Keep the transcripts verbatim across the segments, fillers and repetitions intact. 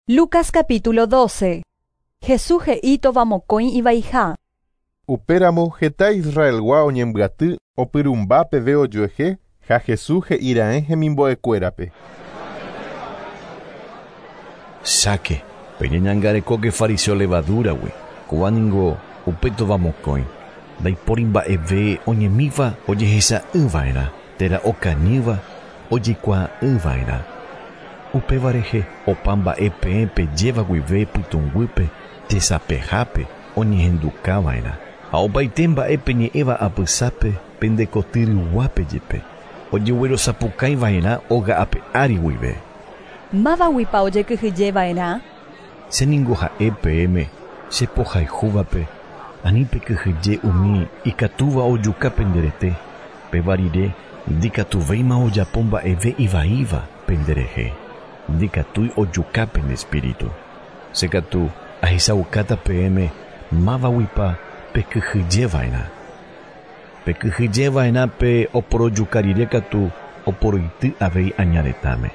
Lucas capítulo doce. Jesús he'i tovamokõi ivaiha. Upéramo heta Israelgua oñembyaty opyrũmba peve ojuehe ha Jesús he'iraẽ hemimbo'ekuérape. Cháke, peñeñangarekóke fariseo levadúragui, kóva ningo upe tovamokõi, ndaipóri mba'eve oñemíva ojehecha'ỹva'erã térã okañýva ojekuaa'ỹva'erã. Upéva rehe opa mba'e peẽ pejéva guive pytũnguýpe tesapehápe oñehendukava'erã ha opaite mba'e peñe'ẽva apysápe pendekotyryguápe jepe ojeguerosapukaiva'erã óga ape ári guive. Mávaguipa ojekyhyjeva'erã? Che ningo ha'e peẽme che pohayhúvape ani pekyhyje umi ikatúva ojuka penderete péva rire ndikatuvéima ojapo mba'eve ivaíva penderehe. Ndikatúi ojuka pende espíritu. Che katu ahechaukáta peẽme mávaguipa pekyhyjeva'erã. Pekyhyjeva'erã pe oporojuka rire katu oporoity avei añaretãme.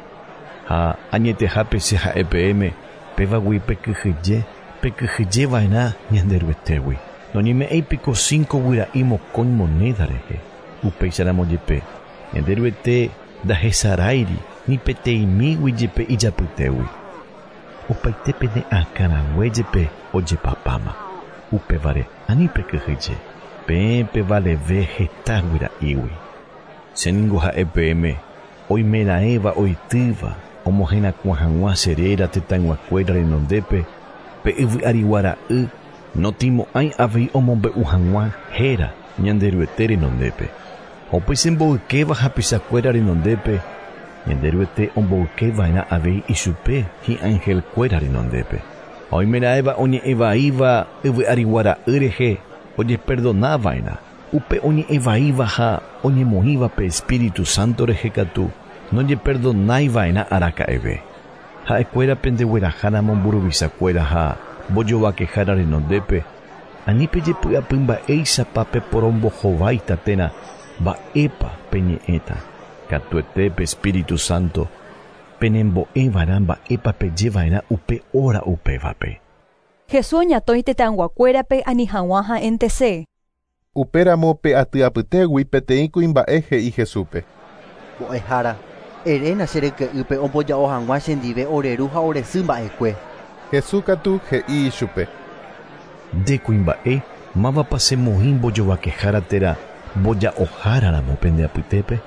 Ha añetehápe che ha'e peẽme pévagui pekyhyje pekyhyjeva'erã Ñanderuetégui. Noñeme'ẽipiko cinco guyra'i mokõi moneda rehe. Upéicharamo jepe Ñanderuete ndahesaráiri ni peteĩmígui jepe ijapytégui. Opaite pene akãrague jepe ojepapáma. Upévare ani pekyhyje peẽ pevaleve heta guyra'ígui. Che ningo ha'e peẽme oimeraẽva oitýva omoherakuã hag̃ua che réra tetãyguakuéra renondépe pe yvy ariguara'y notĩmo'ãi avei omombe'u hag̃ua héra Ñanderuete renondépe. Upéicha mboykéva hapichakuéra renondépe Ñanderuete omboykeva'erã avei ichupe hi'angelkuéra renondépe. Ha oimeraẽva oñe'ẽvaíva yvy ariguara'y rehe ojeperdonava'erã. Upe oñe'ẽvaíva ha oñemoĩva pe Espíritu Santo rehe katu noñeperdonaiva'erã araka'eve. Ha'ekuéra pendegueraháramo mburuvichakuéra ha mbojovakehára renondépe ani pejepy'apy mba'éichapa peporombohováita térã mba'épa peñe'ẽta. Katuete pe Espíritu Santo penembo'eva'erã mba'épa pejeva'erã upe hora upévape. Jesús oñatõi tetãyguakuérape ani hag̃ua ha'éntese. Upéramo pe aty apytégui peteĩ kuimba'e he'i Jesúspe. Mbo'ehára, eréna che ryke'ýpe omboja'o hag̃ua chendive ore ru ha ore sy mba'ekue. Jesús katu he'i ichupe. Nde kuimba'e mávapa chemoĩ mbojovakehára térã mboja'oháraramo pende apytépe?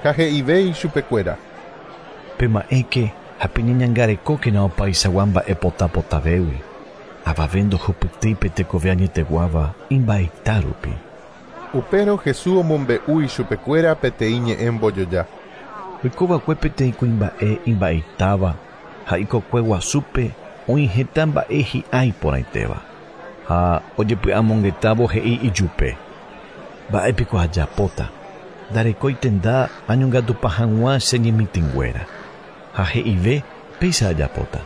Ha he'ive ichupekuéra. Pema'ẽke ha peñeñangarekókena opaichagua mba'e potapotavégui. Avave ndohupytýi pe tekove añeteguáva imba'eita rupi. Upérõ Jesús omombe'u ichupekuéra peteĩ ñe'ẽ mbojoja. Oikova'ekue peteĩ kuimba'e imba'eitáva ha ikokue guasúpe oĩ heta mba'e hi'a iporãitéva. Ha ojepy'amongetávo he'i ijupe. Mba'épiko ajapóta. Ndarekói tenda añongatupa hag̃ua che ñemitỹnguéra. Ha he'ive péicha ajapóta.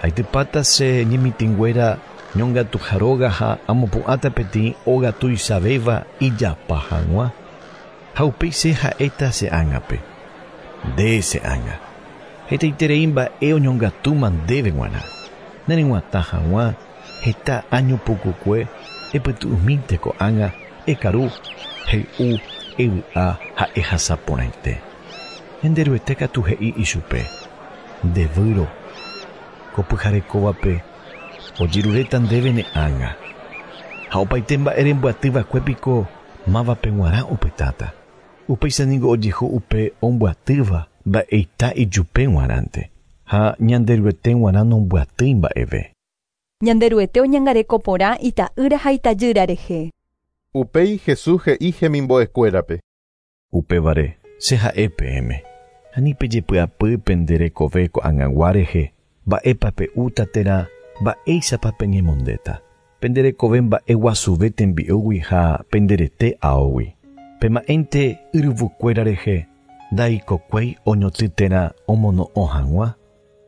Haitypáta che ñemitỹnguéra ñongatuharóga ha amopu'ãta peteĩ óga tuichavéva ijapa hag̃ua. Ha upéi che ha'éta che ág̃ape. Nde che ág̃a. Hetaiterei mba'e oñongatúma ndéve g̃uarã. Nereg̃uatã hag̃ua heta año pukukue epytu'umínte ko'ág̃a ekaru hey'u evy'a ha ehasa porãite. Ñanderuete katu he'i ichupe. Ndevýro ko pyharekóvape ojeruréta ndéve ne ág̃a. Ha opaite mba'e rembyatýva'ekuépiko mávape g̃uarã opytáta. Upéicha ningo ojehu upe ombyatýva mba'eita ijupe g̃uarãnte ha Ñanderuete g̃uarã nombyatýi mba'eve. Ñanderuete oñangareko porã ita'ýra ha itajýra rehe. Upéi Jesús he'i hemimbo'ekuérape. Upévare che ha'e peẽme. Ani pejepy'apy pende rekove ko'ag̃agua rehe mba'épa pe'úta térã mba'éichapa peñemondéta. Pende rekove mba'e guasuve tembi'úgui ha penderete aógui. Pema'ẽnte yryvukuéra rehe ndaikokuéi oñoty térã omono'õ hag̃ua.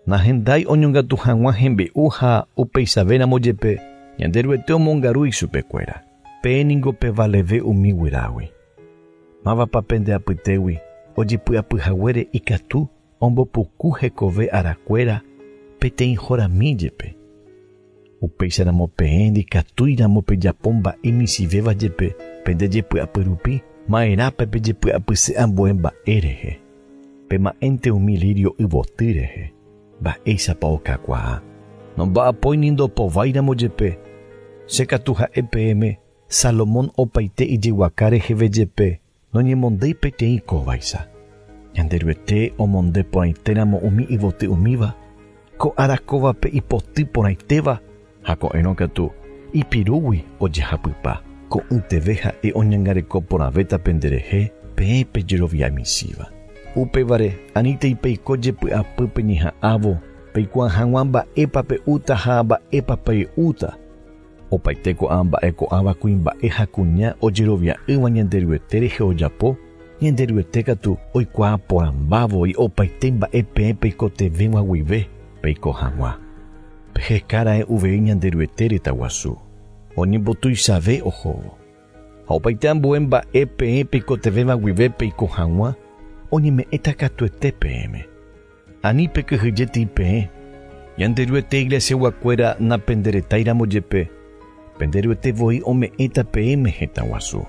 Nahendái oñongatu hag̃ua hembi'u ha upeichavéramo jepe Ñanderuete omongaru ichupekuéra. Peẽ ningo pevaleve umi guyrágui. Mávapa pende apytégui ojepy'apyhaguére ikatu ombopuku hekove arakuéra peteĩ horami jepe. Upéicharamo peẽ ndikatúiramo pejapo mba'e michĩvéva jepe pendejepy'apy rupi ma'erãpa pejepy'apyse ambue mba'e rehe. Pema'ẽnte umi lirio yvoty rehe. Mba'éichapa okakuaa. Nomba'apói ni ndopováiramo jepe. Che katu ha'e peẽme Salomón opaite ijeguaka reheve jepe noñemondéi peteĩ kóvaicha. Ñanderuete omonde porãitéramo umi yvoty umíva, ko ára kóvape ipoty porãitéva ha ko'ẽrõ katu ipirúgui ojehapypa. Ko'ỹteve ha'e oñangareko porãvéta penderehe peẽ pejerovia michĩva. Upévare anítei peiko jepy'apy peñeha'ãvo peikuaa hag̃ua mba'épa pe'úta ha mba'épa pey'úta. Opaite ko'ã mba'e ko'ãva kuimba'e ha kuña ojerovia'ỹva Ñanderuete rehe ojapo, Ñanderuete katu oikuaa porãmbávoi opaite mba'e peẽ peikotevẽva guive peiko hag̃ua. Pehekára'e uvei Ñanderuete retaguasu, oñembotuichave ohóvo. Ha opaite ambue mba'e peẽ peikotevẽva guive peiko hag̃ua, oñeme'ẽta katuete peẽme. Ani pekyhyjéti peẽ, Ñanderuete iglesiaguakuéra napenderetáiramo jepe, penderuete voi ome'ẽta peẽme hetã guasu.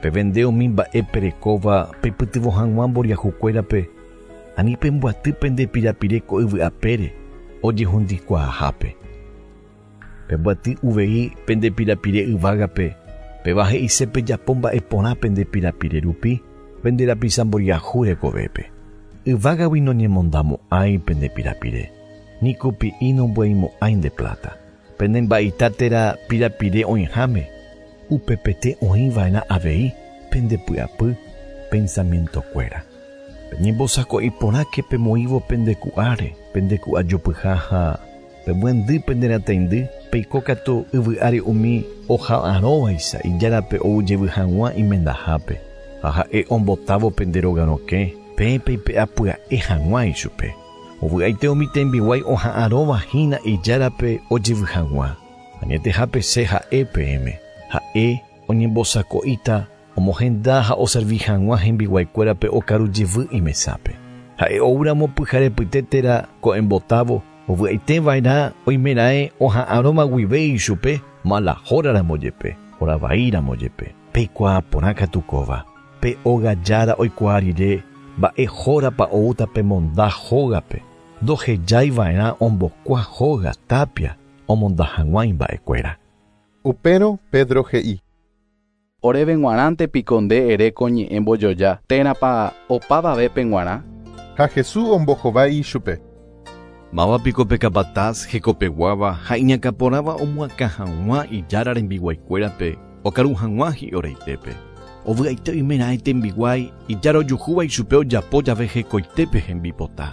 Pevende umi mba'e perekóva peipytyvõ hag̃ua mboriahukuérape, ani pemboaty pende pirapire ko yvy apére ojehundikuaahápe. Pemboaty uvei pende pirapire yvágape, péva he'ise pejapo mba'e porã pende pirapire rupi, pende rapicha mboriahu rekovépe. Yvágagui noñemondamo'ãi pende pirapire, ni kupi'i nombo'eimo'ãi nde plata. Pende mba'ita térã pirapire oĩháme, upepete oĩva'erã avei pende py'apy pensamientokuéra. Peñembosako'i porãke pemoĩvo pende ku'áre, pende ku'ajopyha ha pemyendy pende rataindy, peiko katu yvy'ári umi oha'arõvaicha ijárape ou jevy hag̃ua imendahápe. Ha ha'e ombotávo pende róga rokẽ, peẽ peipe'a pya'e hag̃ua ichupe. Ovy'aite umi tembiguái oha'arõva hína ijárape ojevy hag̃ua. Añetehápe che ha'e peẽme. Ha'e oñembosako'íta omohenda ha oservi hag̃ua hembiguaikuérape okaru jevy imesápe. Ha'e oúramo pyharepyte térã ko'ẽmbotávo, ovy'aiteva'erã oimeraẽ oha'arõma guive ichupe malahóraramo jepe, horavaíramo jepe. Peikuaa porã katu kóva. Pe óga jára oikuaa rire mba'e hórapa oúta pemonda hógape. Ndohejaiva'erã ombokua hóga tapia omonda hag̃ua imba'ekuéra. Upérõ Pedro he'i. Oréve g̃uarãnte piko nde ere ko ñe'ẽ mbojoja térãpa opavavépe g̃uarã. Ha Jesús ombohovái ichupe. Máva piko pe capataz hekopeguáva ha iñakãporãva omoakã hag̃ua ijára rembiguaikuérape okaru hag̃ua hi'oraitépe. Ovy'aite oimeraẽ tembiguái ijára ojuhúva ichupe ojapo jave hekoitépe hembipota.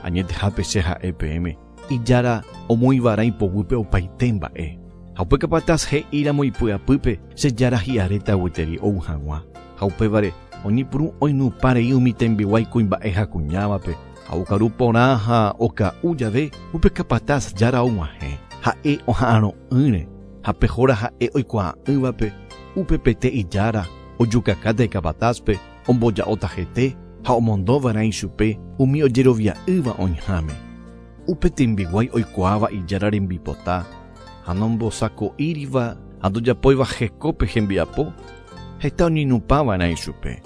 Añetehápe che ha'e peẽme, ijára omoĩva'erã ipoguýpe opaite mba'e. Ha upe capataz he'íramo ipy'apýpe che jára hi'aréta gueteri ou hag̃ua. Ha upévare oñepyrũ oinupãrei umi tembiguái kuimba'e ha kuñávape. Ha okaru porã ha oka'u jave upe capataz jára og̃uahẽ. Ha'e oha'arõ'ỹre ha pe hóra ha'e oikuaa'ỹvape upepete ijára ojukakáta icapatazpe omboja'óta hete ha omondova'erã ichupe umi ojerovia'ỹva oĩháme. Upe tembiguái oikuaáva ijára rembipota ha nombosako'íriva ha ndojapóiva hekópe hembiapo, heta oñeinupãva'erã ichupe.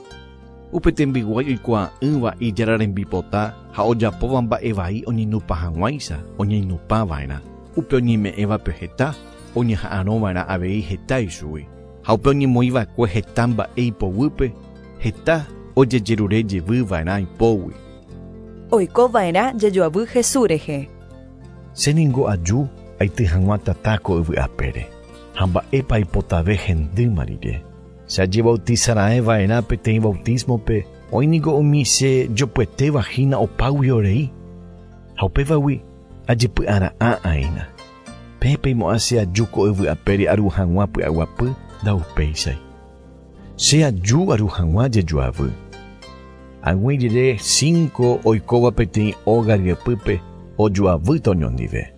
Upe tembiguái oikuaa'ỹva ijára rembipota ha ojapóva mba'e vai oñeinupã hag̃uáicha oñeinupãva'erã. Upe oñeme'ẽvape heta oñeha'arõva'erã avei heta ichugui. Ha upe oñemoĩva'ekue heta mba'e ipoguýpe, heta ojejerure jevyva'erã ipógui. Oikova'erã jejoavy Jesús rehe. Che ningo aju aity hag̃ua tata ko yvy apére, ha mba'épa aipotave hendýma rire. Che ajebautizara'ẽva'erã peteĩ bautismope, oĩ niko umi che jopyetéva hína opágui orei. Ha upévagui ajepy'ara'ã aína. Peẽ peimo'ã che aju ko yvy apére aru hag̃ua py'aguapy ndaupéichai. Che aju aru hag̃ua jejoavy. Ag̃ui rire cinco oikóva peteĩ óga ryepýpe ojoavýta oñondive.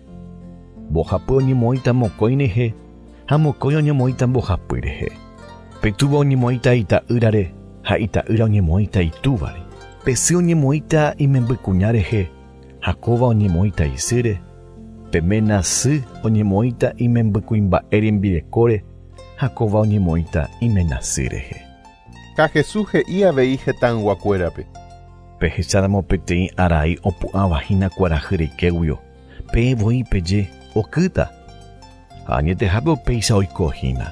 Mbohapy oñemoĩta mokõi rehe ha mokõi oñemoĩta mbohapy rehe. Pe túva oñemoĩta ita'ýrare ha ita'ýra oñemoĩta itúvare. Pe sy oñemoĩta imembykuña rehe ha kóva oñemoĩta isýre Pe ména sy oñemoĩta imembykuimba'e rembirekóre ha kóva oñemoĩta iména sy rehe. Ha Jesús he'i avei hetãyguakuérape. Pehecháramo peteĩ arai opu'ãvahína kuarahy reikéguio, peẽ voi peje okýta. Ha añetehápe upéicha oikohína.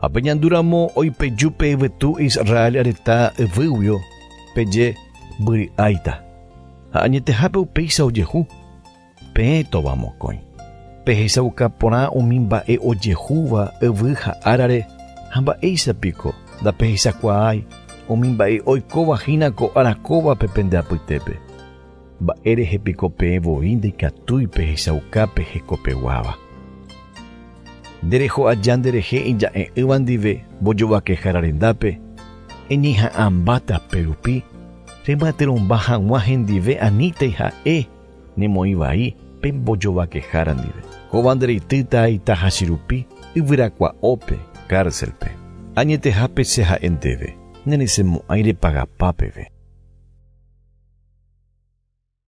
Ha peñandúramo oipeju pe yvytu Israel retã yvýguio, peje mbyry'áita. Ha añetehápe upéicha ojehu. Peẽ tovamokõi. Pehechauka porã umi mba'e ojehúva yvy ha árare ha mba'éichapiko ndapehechakuaái umi mba'e oikovahína ko ára pende apytépe. Mba'e rehepiko peẽ voi ndaikatúi pehechauka pehekopeguáva. Ndereho aja nderehe ija'e'ỹva ndive mbojovakehára rendápe, eñeha'ãmbáta perupi remyatyrõmba hag̃ua hendive anítei ha'e nemoĩ vai pe mbojovakehára ndive. Kóva ndereitýta itahachirupi yvyrakua'ópe cárcelpe. Añetehápe che ha'e ndéve, neresẽmo'ãi repagapa peve.